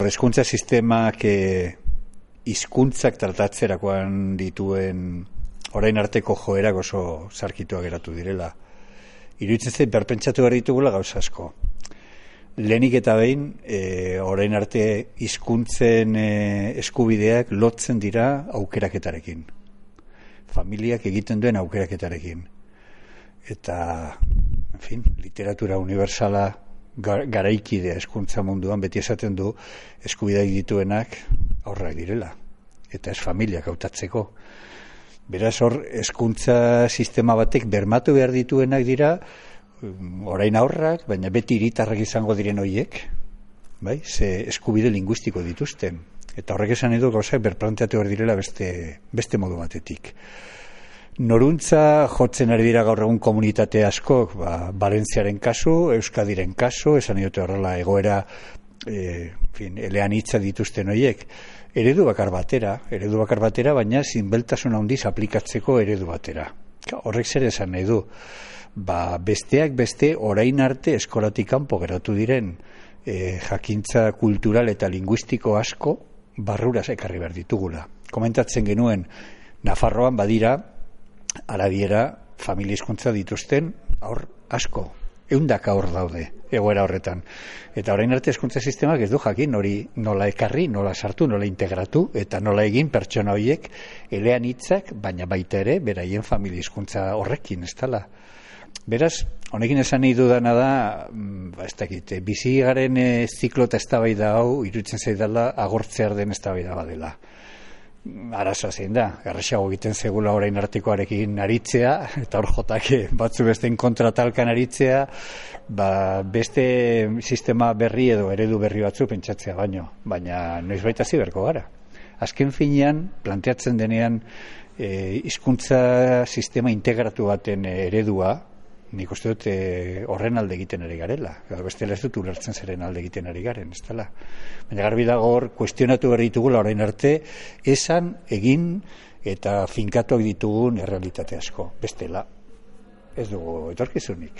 Hezkuntza sistemak hizkuntzak tratatzerakoan dituen orain arteko joerak oso zarkituak geratu direla. Iruditzen zait berpentsatu behar ditugula gauza asko. Lehenik eta behin, orain arte hizkuntzen eskubideak lotzen dira aukeraketarekin. Familiak egiten duen aukeraketarekin. Eta, en fin, literatura universala garaikidea hezkuntza munduan beti esaten du eskubideak dituenak aurrak direla. Eta ez familiak hautatzeko. Beraz hor, hezkuntza sistema batek bermatu behar dituenak dira, orain aurrak, baina beti hiritarrak izango diren horiek, bai? Ze eskubide linguistiko dituzten. Eta horrek esan edo gauzak berplanteatu behar direla beste modu batetik. Noruntza jotzen ari dira gaur egun komunitate askok, Valentziaren kasu, Euskadiren kasu, esan dute horrela egoera, elean hitza dituzten horiek. Eredu bakar batera, baina zinbeltasun handiz aplikatzeko eredu batera. Horrek zer esan nahi du. Besteak beste orain arte eskolatik kanpo geratu diren jakintza kultural eta linguistiko asko barruraz ekarri behar ditugula. Komentatzen genuen, Nafarroan badira arabiera familia hizkuntza dituzten aur asko, 100 aur daude egoera horretan. Eta orain arte hezkuntza sistemak ez du jakin hori nola ekarri, nola sartu, nola integratu eta nola egin pertsona horiek elean hitzak, baina baita ere beraien familia hizkuntza horrekin, ez dela. Beraz, honekin esan nahi dudana da, ez dakit, bizi garen ziklo eta eztabaida hau iruditzen zaidala agortzear den eztabaida badela. Arazoa zein da, errazago egiten zegula orain artekoarekin aritzea, eta hor jotak batzu besteen kontratalkan aritzea, beste sistema berri edo eredu berri batzu pentsatzea baina noizbait hasi beharko gara. Azken finean, planteatzen denean hizkuntza sistema integratu baten eredua, nik uste dut horren alde egiten ari garela. Bestela ez dut ulertzen zeren alde egiten ari garen, ez dela. Baina garbi dago hor, kuestionatu behar ditugula orain arte, esan, egin eta finkatuak ditugun errealitate asko. Bestela, ez dugu etorkizunik.